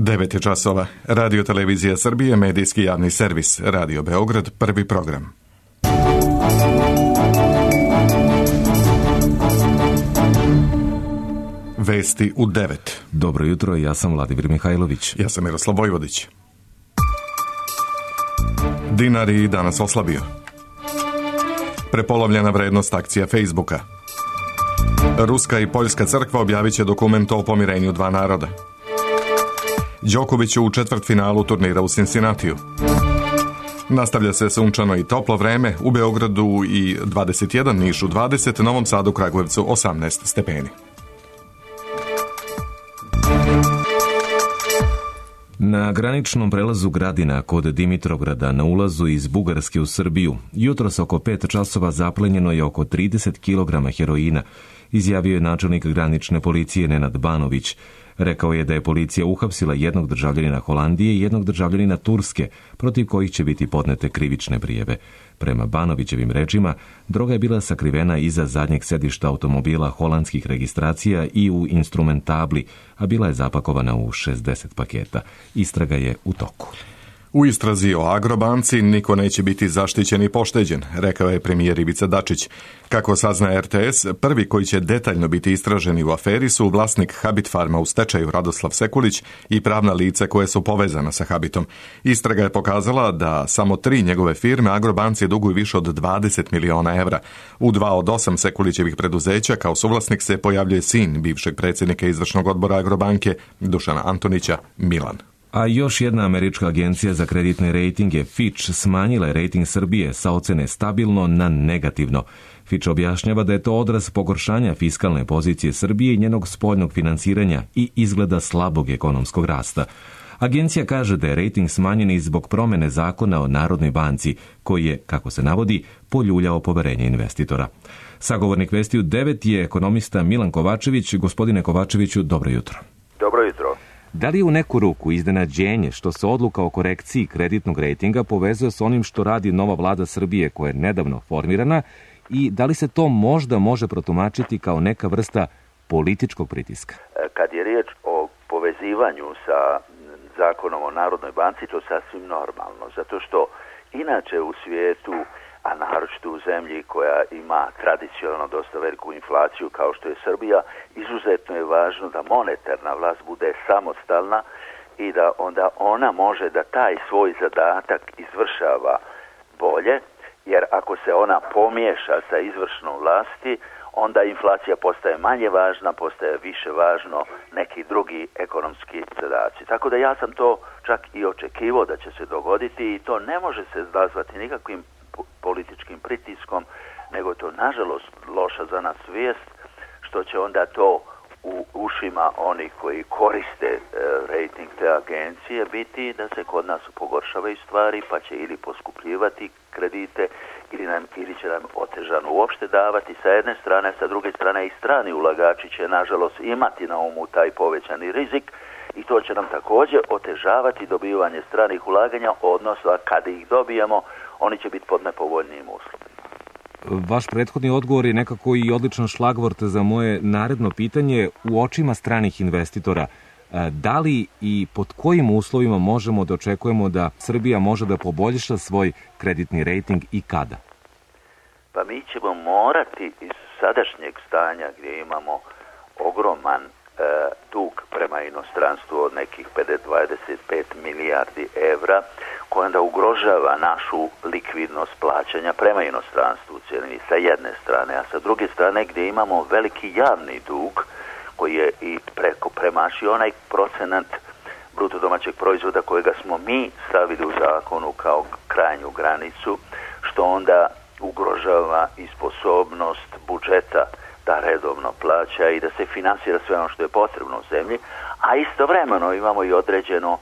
9 je časova. Radio Televizija Srbije, medijski javni servis. Radio Beograd, prvi program. Vesti u 9. Dobro jutro, ja sam Vladimir Mihajlović. Ja sam Miroslav Vojvodić. Dinar je danas oslabio. Prepolovljena vrednost akcija Facebooka. Ruska i Poljska crkva objavit će dokument o pomirenju dva naroda. Đoković u četvrtfinalu turnira u Cincinnatiju. Nastavlja se sunčano i toplo vreme, u Beogradu i 21, Nišu 20, Novom Sadu, Kragujevcu 18 stepeni. Na graničnom prelazu Gradina kod Dimitrovgrada na ulazu iz Bugarske u Srbiju jutros oko 5 časova zaplenjeno je oko 30 kg heroina, izjavio je načelnik granične policije Nenad Banović. Rekao je da je policija uhapsila jednog državljanina Holandije i jednog državljanina Turske, protiv kojih će biti podnete krivične prijave. Prema Banovićevim rečima, droga je bila sakrivena iza zadnjeg sedišta automobila holandskih registracija i u instrumentabli, a bila je zapakovana u 60 paketa. Istraga je u toku. U istrazi o Agrobanci niko neće biti zaštićen i pošteđen, rekao je premijer Ivica Dačić. Kako sazna RTS, prvi koji će detaljno biti istraženi u aferi su vlasnik Habit Farma u stečaju Radoslav Sekulić i pravna lica koje su povezana sa Habitom. Istraga je pokazala da samo 3 njegove firme Agrobanci duguju više od 20 miliona evra. U 2 od 8 Sekulićevih preduzeća kao suvlasnik se pojavljuje sin bivšeg predsjednika izvršnog odbora Agrobanke Dušana Antonića, Milan. A još jedna američka agencija za kreditne rejtinge, Fitch, smanjila je rejting Srbije sa ocene stabilno na negativno. Fitch objašnjava da je to odraz pogoršanja fiskalne pozicije Srbije i njenog spoljnog finansiranja i izgleda slabog ekonomskog rasta. Agencija kaže da je rejting smanjen i zbog promene zakona o Narodnoj banci, koji je, kako se navodi, poljuljao poverenje investitora. Sagovornik Vesti u 9 je ekonomista Milan Kovačević. Gospodine Kovačeviću, dobro jutro. Dobro jutro. Da li je u neku ruku iznenađenje što se odluka o korekciji kreditnog rejtinga povezuje s onim što radi nova vlada Srbije koja je nedavno formirana i da li se to možda može protumačiti kao neka vrsta političkog pritiska? Kad je riječ o povezivanju sa zakonom o Narodnoj banci, to je sasvim normalno, zato što inače u svijetu, a naročito u zemlji koja ima tradicionalno dosta veliku inflaciju kao što je Srbija, izuzetno je važno da monetarna vlast bude samostalna i da onda ona može da taj svoj zadatak izvršava bolje, jer ako se ona pomiješa sa izvršnom vlasti, onda inflacija postaje manje važna, postaje više važno neki drugi ekonomski zadaci. Tako da ja sam to čak i očekivao da će se dogoditi i to ne može se nazvati nikakvim političkim pritiskom, nego to nažalost loša za nas vijest, što će onda to u ušima onih koji koriste rejting te agencije biti da se kod nas pogoršavaju stvari, pa će ili poskupljivati kredite ili će nam otežano uopšte davati sa jedne strane, sa druge strane i strani ulagači će nažalost imati na umu taj povećani rizik i to će nam također otežavati dobivanje stranih ulaganja, odnosno kad ih dobijemo oni će biti pod nepovoljnijim uslovima. Vaš prethodni odgovor je nekako i odličan šlagvort za moje naredno pitanje. U očima stranih investitora, da li i pod kojim uslovima možemo da očekujemo da Srbija može da poboljša svoj kreditni rejting i kada? Pa mi ćemo morati iz sadašnjeg stanja gdje imamo ogroman dug prema inostranstvu od nekih 25 milijardi evra, koja onda ugrožava našu likvidnost plaćanja prema inostranstvu u cijelini sa jedne strane, a sa druge strane gdje imamo veliki javni dug koji je i premašio onaj procenat bruto domaćeg proizvoda kojega smo mi stavili u zakonu kao krajnju granicu, što onda ugrožava i sposobnost budžeta da redovno plaća i da se finansira sve ono što je potrebno u zemlji, a istovremeno imamo i određeno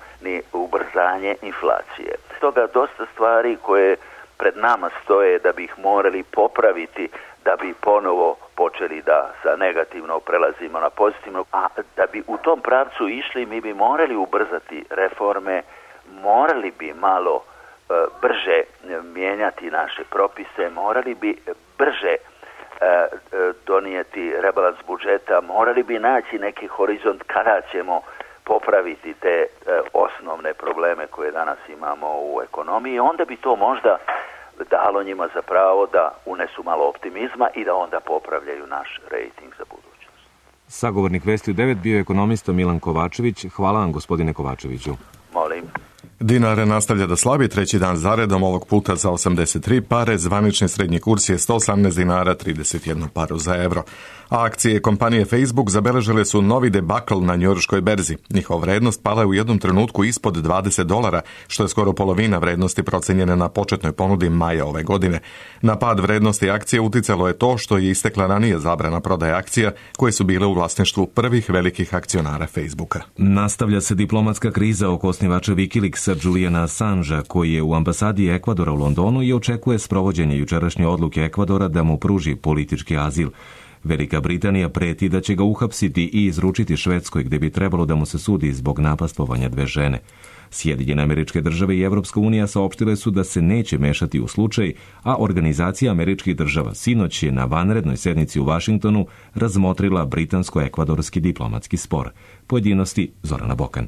ubrzanje inflacije. Stoga dosta stvari koje pred nama stoje da bi ih morali popraviti, da bi ponovo počeli da sa negativno prelazimo na pozitivno, a da bi u tom pravcu išli mi bi morali ubrzati reforme, morali bi malo brže mijenjati naše propise, morali bi brže donijeti rebalans budžeta, morali bi naći neki horizont kada ćemo popraviti te osnovne probleme koje danas imamo u ekonomiji, onda bi to možda dalo njima za pravo da unesu malo optimizma i da onda popravljaju naš rejting za budućnost. Sagovornik Vesti u 9 bio ekonomista Milan Kovačević. Hvala vam, gospodine Kovačeviću. Molim. Dinar nastavlja da slabi treći dan zaredom, ovog puta za 83 pare, zvanični srednji kurs je 118 dinara 31 paru za euro. A akcije kompanije Facebook zabeležile su novi debakl na njujorškoj berzi. Njihova vrednost pala je u jednom trenutku ispod $20, što je skoro polovina vrednosti procenjene na početnoj ponudi maja ove godine. Na pad vrednosti akcije uticalo je to što je istekla ranije zabrana prodaje akcija koje su bile u vlasništvu prvih velikih akcionara Facebooka. Nastavlja se diplomatska kriza oko osnivača Wikileaksa Juliana Assangea, koji je u ambasadi Ekvadora u Londonu i očekuje sprovođenje jučerašnje odluke Ekvadora da mu pruži politički azil. Velika Britanija preti da će ga uhapsiti i izručiti Švedskoj, gde bi trebalo da mu se sudi zbog napastvovanja 2 žene. Sjedinjene Američke Države i Evropska unija saopštile su da se neće mešati u slučaj, a Organizacija Američkih Država sinoć je na vanrednoj sednici u Vašingtonu razmotrila britansko-ekvadorski diplomatski spor. Pojedinosti Zorana Bokan.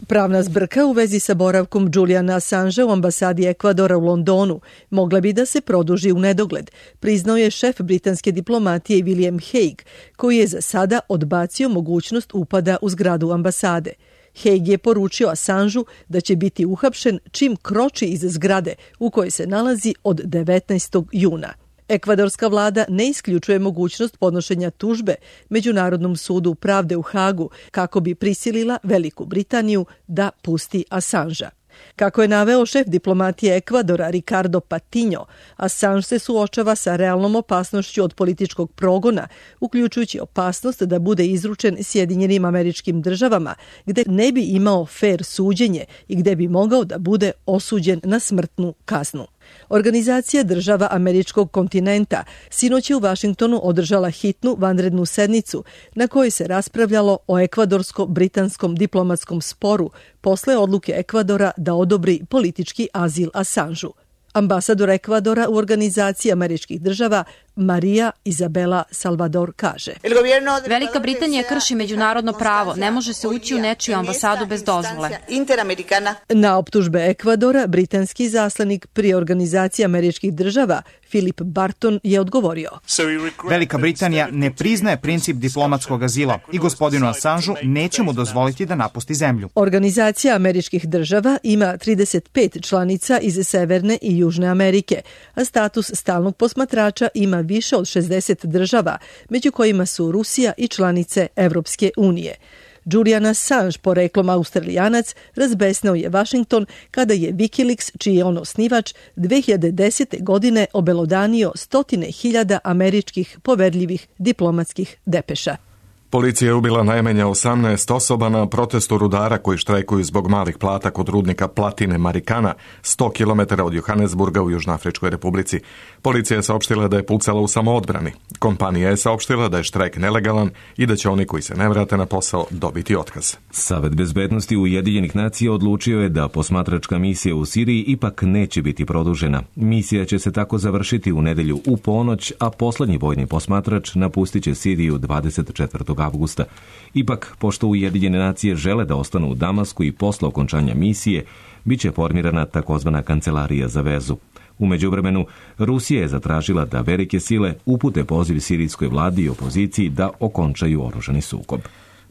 Pravna zbrka u vezi sa boravkom Juliana Assangea u ambasadi Ekvadora u Londonu mogla bi da se produži u nedogled, priznao je šef britanske diplomatije William Hague, koji je za sada odbacio mogućnost upada u zgradu ambasade. Hague je poručio Assangeu da će biti uhapšen čim kroči iz zgrade u kojoj se nalazi od 19. juna. Ekvadorska vlada ne isključuje mogućnost podnošenja tužbe Međunarodnom sudu pravde u Hagu kako bi prisilila Veliku Britaniju da pusti Assangea. Kako je naveo šef diplomatije Ekvadora Ricardo Patiño, Assange se suočava sa realnom opasnošću od političkog progona, uključujući opasnost da bude izručen Sjedinjenim Američkim Državama, gde ne bi imao fer suđenje i gde bi mogao da bude osuđen na smrtnu kaznu. Organizacija država američkog kontinenta sinoć je u Vašingtonu održala hitnu vanrednu sednicu na kojoj se raspravljalo o ekvadorsko-britanskom diplomatskom sporu posle odluke Ekvadora da odobri politički azil Assangeu. Ambasador Ekvadora u Organizaciji Američkih Država Maria Isabela Salvador kaže: Velika Britanija krši međunarodno pravo, ne može se ući u nečiju ambasadu bez dozvole. Na optužbe Ekvadora, britanski izaslanik pri Organizaciji Američkih Država Philip Barton je odgovorio: Velika Britanija ne priznaje princip diplomatskog azila i gospodinu Assangeu neće mu dozvoliti da napusti zemlju. Organizacija Američkih Država ima 35 članica iz Severne i Južne Amerike, a status stalnog posmatrača ima više od 60 država, među kojima su Rusija i članice Evropske unije. Julian Assange, poreklom Australijanac, razbesnao je Washington kada je Wikileaks, čiji je on osnivač, 2010. godine obelodanio 100.000 američkih poverljivih diplomatskih depeša. Policija je ubila najmanje 18 osoba na protestu rudara koji štrajkuju zbog malih plata kod rudnika platine Marikana, 100 km od Johannesburga u Južnoafričkoj republici. Policija je saopštila da je pucala u samoodbrani. Kompanija je saopštila da je štrajk nelegalan i da će oni koji se ne vrate na posao dobiti otkaz. Savet bezbednosti Ujedinjenih nacija odlučio je da posmatračka misija u Siriji ipak neće biti produžena. Misija će se tako završiti u nedelju u ponoć, a poslednji vojni posmatrač napustit će Siriju 24. avgusta. Ipak, pošto Ujedinjene nacije žele da ostanu u Damasku i posle okončanja misije, bit će formirana takozvana kancelarija za vezu. U međuvremenu, Rusija je zatražila da velike sile upute poziv sirijskoj vladi i opoziciji da okončaju oružani sukob.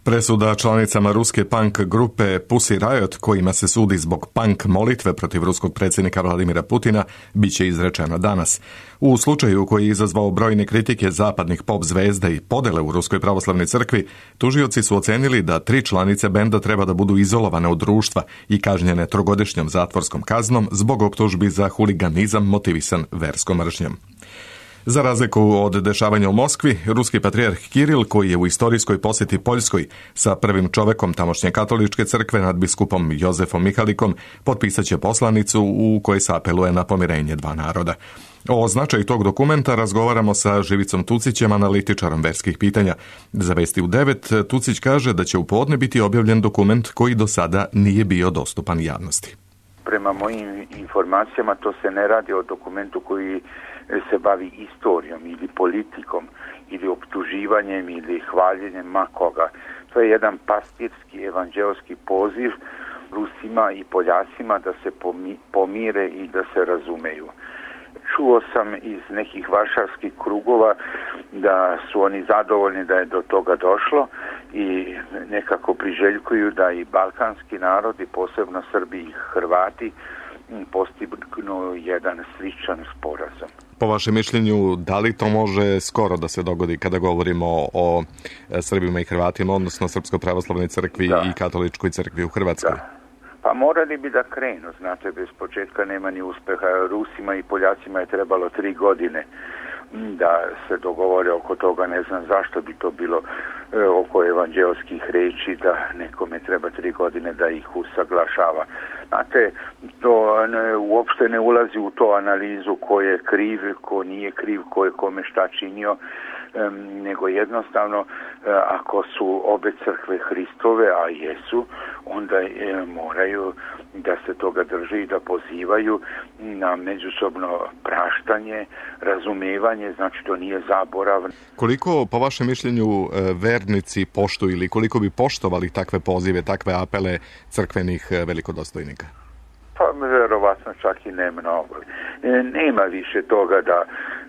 Presuda članicama ruske punk grupe Pussy Riot, kojima se sudi zbog punk molitve protiv ruskog predsjednika Vladimira Putina, bit će izrečena danas. U slučaju koji je izazvao brojne kritike zapadnih pop zvezda i podele u Ruskoj pravoslavnoj crkvi, tužioci su ocenili da 3 članice benda treba da budu izolovane od društva i kažnjene 3-godišnjom zatvorskom kaznom zbog optužbi za huliganizam motivisan verskom mržnjom. Za razliku od dešavanja u Moskvi, ruski patrijarh Kiril, koji je u istorijskoj posjeti Poljskoj sa prvim čovekom tamošnje katoličke crkve nadbiskupom Jozefom Mihalikom, potpisat će poslanicu u kojoj se apeluje na pomirenje 2 naroda. O značaju tog dokumenta razgovaramo sa Živicom Tucićem, analitičarom verskih pitanja. Za Vesti u 9 Tucić kaže da će u podne biti objavljen dokument koji do sada nije bio dostupan javnosti. Prema mojim informacijama to se ne radi o dokumentu koji se bavi istorijom ili politikom ili optuživanjem ili hvaljenjem makoga. To To je jedan pastirski evanđelski poziv Rusima i Poljacima da se pomire i da se razumeju. Čuo sam iz nekih varšavskih krugova da su oni zadovoljni da je do toga došlo i nekako priželjkuju da i balkanski narodi, posebno Srbi i Hrvati, postignu jedan sličan sporazum. Po vašem mišljenju, da li to može skoro da se dogodi kada govorimo o Srbima i Hrvatima, odnosno Srpsko-pravoslavnoj crkvi i Katoličkoj crkvi u Hrvatskoj? Da. Pa morali bi da krenu, znate, bez početka nema ni uspeha. Rusima i Poljacima je trebalo 3 godine da se dogovore oko toga, ne znam zašto bi to bilo oko evanđelskih reči, da nekome treba 3 godine da ih usaglašava. Znate, to uopšte ne ulazi u to analizu ko je kriv, ko nije kriv, ko je kome šta činio, nego jednostavno ako su obe crkve Hristove, a jesu, onda moraju da se toga drže i da pozivaju na međusobno praštanje, razumevanje, znači to nije zaborav. Koliko, po vašem mišljenju, vernici poštuju ili koliko bi poštovali takve pozive, takve apele crkvenih velikodostojnika? Pa verovatno čak i ne mnogo. Nema više toga da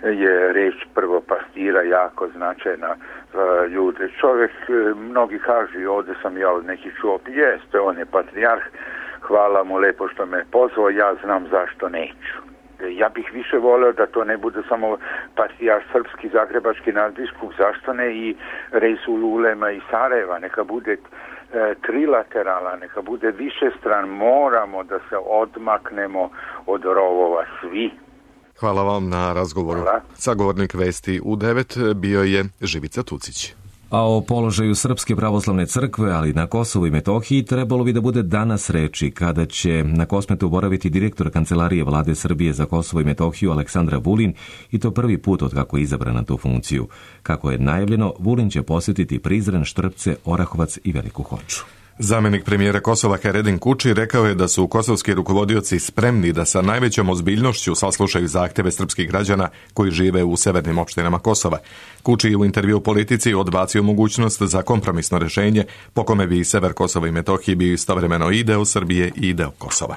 je reč prvopastira jako značajna ljude. Čovjek, mnogi kažu, ovdje sam ja od nekih čuo, jeste, on je patrijarh, hvala mu lepo što me pozvao, ja znam zašto neću. Ja bih više voleo da to ne bude samo patrijarh srpski, zagrebački nadbiskup, zašto ne i Reisul Ulema i Sarajeva, neka bude trilaterala, neka bude više stran, moramo da se odmaknemo od rovova svi. Hvala vam na razgovoru. Hvala. Sagovornik Vesti u 9 bio je Živica Tucić. A o položaju Srpske pravoslavne crkve, ali na Kosovu i Metohiji, trebalo bi da bude danas reči kada će na Kosmetu boraviti direktor Kancelarije Vlade Srbije za Kosovo i Metohiju Aleksandra Vulin, i to prvi put od kako je izabran na tu funkciju. Kako je najavljeno, Vulin će posjetiti Prizren, Štrpce, Orahovac i Veliku Hoču. Zamjenik premijera Kosova Haredin Kuči rekao je da su kosovski rukovodioci spremni da sa najvećom ozbiljnošću saslušaju zahtjeve srpskih građana koji žive u severnim opštinama Kosova. Kuči je u intervju Politici odbacio mogućnost za kompromisno rješenje po kome bi sever Kosova i Metohije bio istovremeno i deo Srbije i deo Kosova.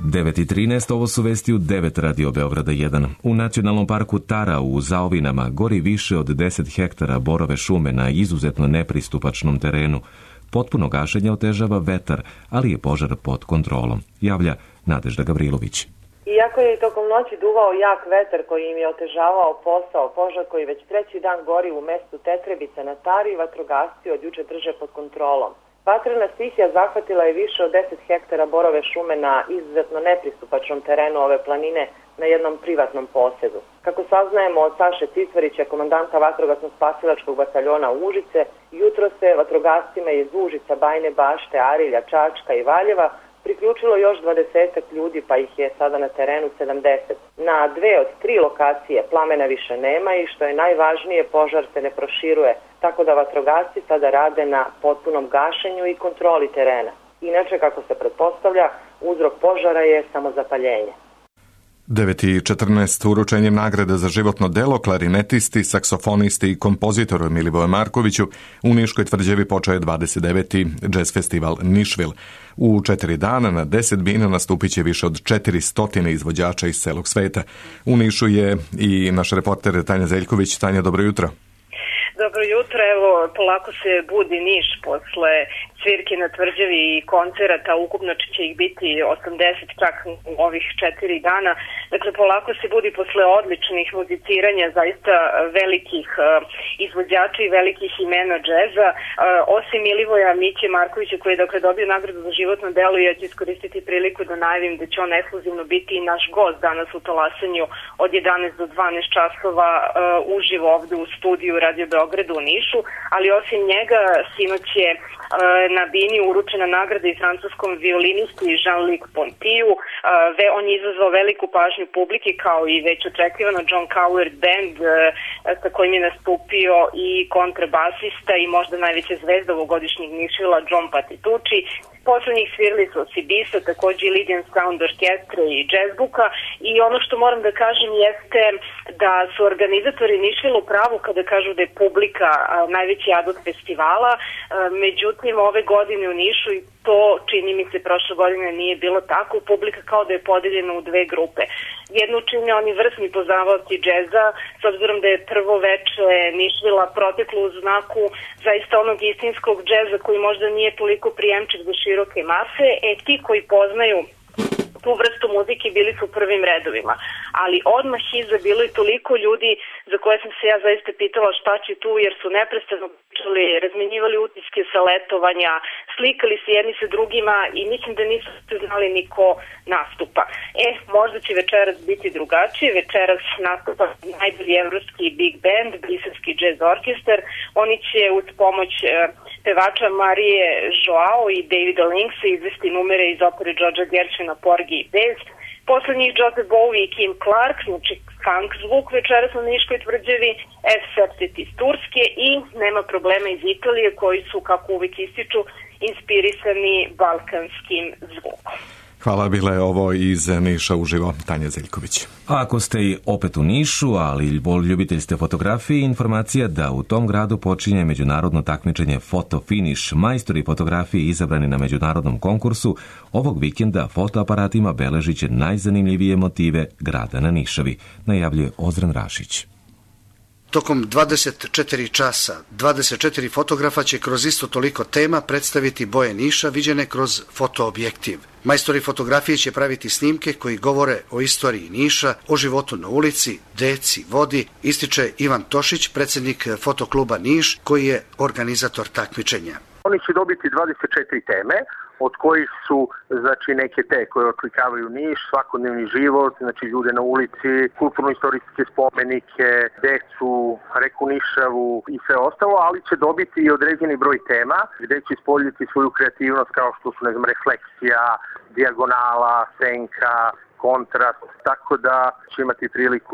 9:13, ovo su vesti u 9 Radio Beograda 1. U nacionalnom parku Tara u Zaovinama gori više od 10 hektara borove šume na izuzetno nepristupačnom terenu. Potpuno gašenje otežava vetar, ali je požar pod kontrolom, javlja Nadežda Gavrilović. Iako je tokom noći duvao jak vetar koji im je otežavao posao, požar koji već 3. dan gori u mestu Tetrebica na Tari, vatrogasci od juče drže pod kontrolom. Vatrena stihija zahvatila je više od 10 hektara borove šume na izuzetno nepristupačnom terenu ove planine na jednom privatnom posedu. Kako saznajemo od Saše Cicvarića, komandanta vatrogasno-spasilačkog bataljona Užice, jutro se vatrogascima iz Užica, Bajne Bašte, Arilja, Čačka i Valjeva priključilo još 20 ljudi, pa ih je sada na terenu 70. Na 2 od 3 lokacije plamena više nema i što je najvažnije, požar se ne proširuje, tako da vatrogasci sada rade na potpunom gašenju i kontroli terena. Inače, kako se pretpostavlja, uzrok požara je samozapaljenje. 9:14 uručenjem nagrade za životno delo klarinetisti, saksofonisti i kompozitoru Milivoju Markoviću u Niškoj tvrđavi počeo je 29. jazz festival Nišvil. U 4 dana na 10 bina nastupit će više od 400 izvođača iz celog sveta. U Nišu je i naš reporter Tanja Zeljković. Tanja, dobro jutro. Dobro jutro, evo polako se budi Niš posle svirke na tvrđavi i koncerata, ukupno će ih biti 80 čak u ovih 4 dana. Dakle, polako se budi posle odličnih muziciranja zaista velikih izvođača i velikih imena džeza. Osim Milivoja Miće Markovića koji je dakle dobio nagradu za životno delo, ja ću iskoristiti priliku da najavim da će on ekskluzivno biti i naš gost danas u talasanju od 11 do 12 časova uživo ovde u studiju Radio Beogradu u Nišu, ali osim njega sinoć je na bini uručena nagrada i francuskom violinisti Jean-Luc Pontiju. On je izazvao veliku pažnju publike kao i već očekivano John Coward Band sa kojim je nastupio i kontrabasista i možda najveća zvezda ovogodišnjeg Nišvila John Patitucci. Poslednjih svirali su Sibisa, takođe i Lydian Sound Orkestra i Jazzbuka, i ono što moram da kažem jeste da su organizatori Nišvila u pravu kada kažu da je publika najveći adut festivala, međutim ove godine u Nišu, i to čini mi se prošle godine nije bilo tako, publika kao da je podeljena u dve grupe. Jednu čine oni vrsni poznavaoci džeza, s obzirom da je prvo veče Nišvila proteklo u znaku zaista onog istinskog džeza koji možda nije toliko prijemčiv za široke mase, ti koji poznaju tu vrstu muzike bili su u prvim redovima. Ali odmah iza bilo je toliko ljudi za koje sam se ja zaista pitala šta će tu, jer su neprestano pričali, razmenjivali utiske sa letovanja, slikali se jedni sa drugima i mislim da nisu znali ni ko nastupa. Možda će večeras biti drugačije. Večeras nastupa najbolji evropski big band, briselski jazz orkestar. Oni će uz pomoć pevača Marije Joao i Davida Linksa izvesti numere iz opere Georgea Gershwina Porgy i Bess. Posle njih Joseph Bowie i Kim Clark, znači funk zvuk večeras na Niškoj tvrđavi, F-Septet iz Turske i Nema problema iz Italije, koji su, kako uvijek ističu, inspirisani balkanskim zvukom. Hvala, bila je ovo iz Niša uživo Tanja Zeljković. A ako ste i opet u Nišu, ali ljubitelj ste fotografije, informacija da u tom gradu počinje međunarodno takmičenje Photo Finish. Majstori fotografije izabrani na međunarodnom konkursu ovog vikenda fotoaparatima beležit će najzanimljivije motive grada na Nišavi, najavljuje Ozren Rašić. Tokom 24 časa, 24 fotografa će kroz isto toliko tema predstaviti boje Niša viđene kroz fotoobjektiv. Majstori fotografije će praviti snimke koji govore o istoriji Niša, o životu na ulici, deci, vodi, ističe Ivan Tošić, predsjednik fotokluba Niš, koji je organizator takmičenja. Oni će dobiti 24 teme, od kojih su neke te koje otlikavaju Niš, svakodnevni život, ljude na ulici, kulturno-istorijske spomenike, decu, reku Nišavu i sve ostalo, ali će dobiti i određeni broj tema gde će ispoljiti svoju kreativnost kao što su, refleksija, dijagonala, senka, kontrast, tako da će imati priliku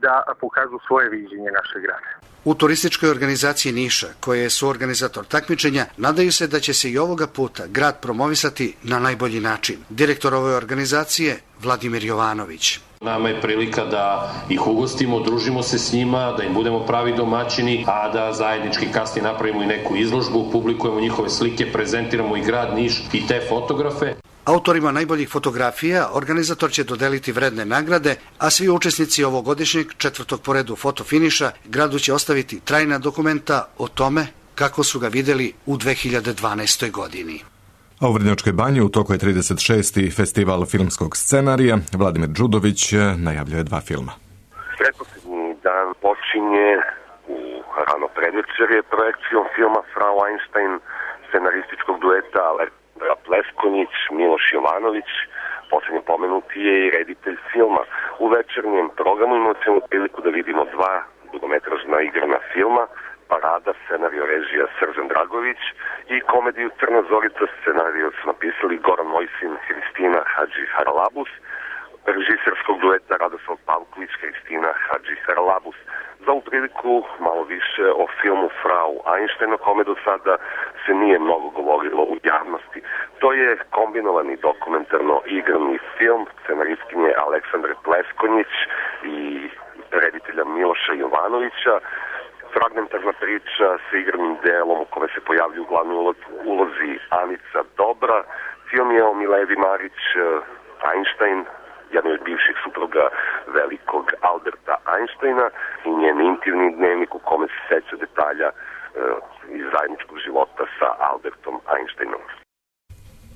da pokažu svoje viđenje našeg grada. U turističkoj organizaciji Niša, koja je suorganizator takmičenja, nadaju se da će se i ovoga puta grad promovisati na najbolji način. Direktor ove organizacije Vladimir Jovanović. Nama je prilika da ih ugostimo, družimo se s njima, da im budemo pravi domaćini, a da zajednički kasnije napravimo i neku izložbu, publikujemo njihove slike, prezentiramo i grad Niš i te fotografe. Autorima najboljih fotografija organizator će dodeliti vredne nagrade, a svi učesnici ovogodišnjeg 4. po redu fotofiniša gradu će ostaviti trajna dokumenta o tome kako su ga videli u 2012. godini. A u Vrnjačkoj banji u toku je 36. festival filmskog scenarija. Vladimir Đudović najavljuje 2 filma. Pretposlednji dan počinje u rano predvečerje projekcijom filma Frau Einstein, scenarističkog dueta Alexandra Pleskonić, Miloš Jovanović. Poslednji pomenuti je i reditelj filma. U večernjem programu imamo ćemo priliku da vidimo 2 dugometražna igrana filma, Parada, scenario režija Srđan Dragović, i komediju Crna Zorica, scenario su napisali Goran Mojsin, Hristina Hadži Haralabus, režiserskog dueta Radoslav Pavković, Hristina Hadži Haralabus. Za ovu priliku malo više o filmu Frau Einstein, o kome do sada se nije mnogo govorilo u javnosti. To je kombinovani dokumentarno igrani film scenaristkinje Aleksandre Pleskonjić i reditelja Miloša Jovanovića. Fragmentarna priča sa igranim delom u kome se pojavljuju u glavnoj ulozi Anica Dobra. Film je o Miledi Marić Einstein, jednoj od bivših supruga velikog Alberta Einsteina, i njen intimni dnevnik u kome se seća detalja iz zajedničkog života sa Albertom Einsteinom.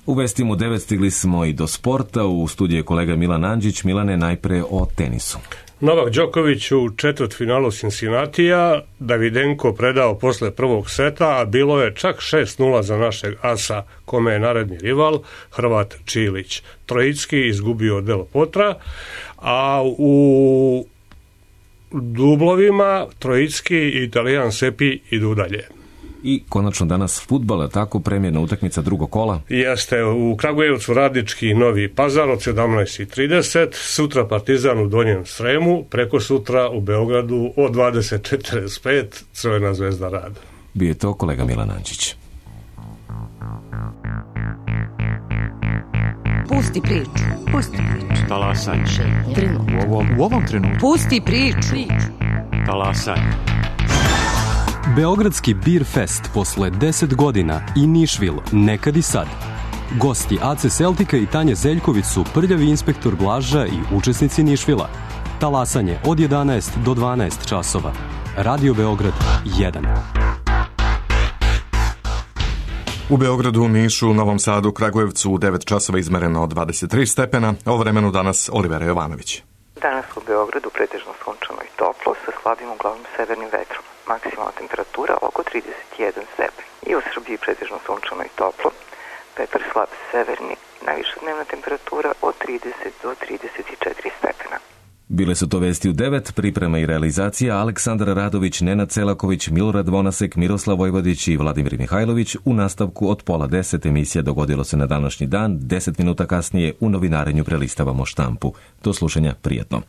U vestima u 9 stigli smo i do sporta. U studiju je kolega Milan Andžić. Milane, najpre o tenisu. Novak Đoković u četvrtfinalu Cincinnatija, Davidenko predao posle prvog seta, a bilo je čak 6-0 za našeg asa, kome je naredni rival, Hrvat Čilić. Trojicki izgubio Del Potra, a u dublovima Trojicki i Italijan Sepi idu dalje. I konačno danas fudbal, tako premijerna utakmica drugog kola. Jeste, u Kragujevcu Radnički Novi Pazar od 17:30, sutra Partizan u Donjem Sremu, preko sutra u Beogradu od 20:45 Crvena zvezda Rad. Bio je to kolega Milan Andžić. Pusti priču. Pusti priču. Talasaj. U ovom trenutku. Pusti priču. Talasaj. Beogradski Beer Fest posle 10 godina i Nišvil, nekad i sad. Gosti AC Celtica i Tanje Zeljković su prljavi inspektor Blaža i učesnici Nišvila. Talasanje od 11 do 12 časova. Radio Beograd 1. U Beogradu, Nišu, Novom Sadu, Kragujevcu u 9 časova izmereno 23 stepena. O vremenu danas Olivera Jovanović. Danas u Beogradu pretežno sunčano i toplo sa slabim uglavnom severnim vetrom. Maksimalna temperatura oko 31 stepen. I u Srbiji pretežno sunčano i toplo. Vetar slab severni, najviša dnevna temperatura od 30 do 34 stepena. Bile su to vesti u 9, priprema i realizacija Aleksandar Radović, Nenad Celaković, Milorad Vonasek, Miroslav Vojvodić i Vladimir Mihajlović. U nastavku od 9:30 emisija Dogodilo se na današnji dan. 10 minuta kasnije u novinarenju prelistavamo štampu. Do slušanja, prijatno.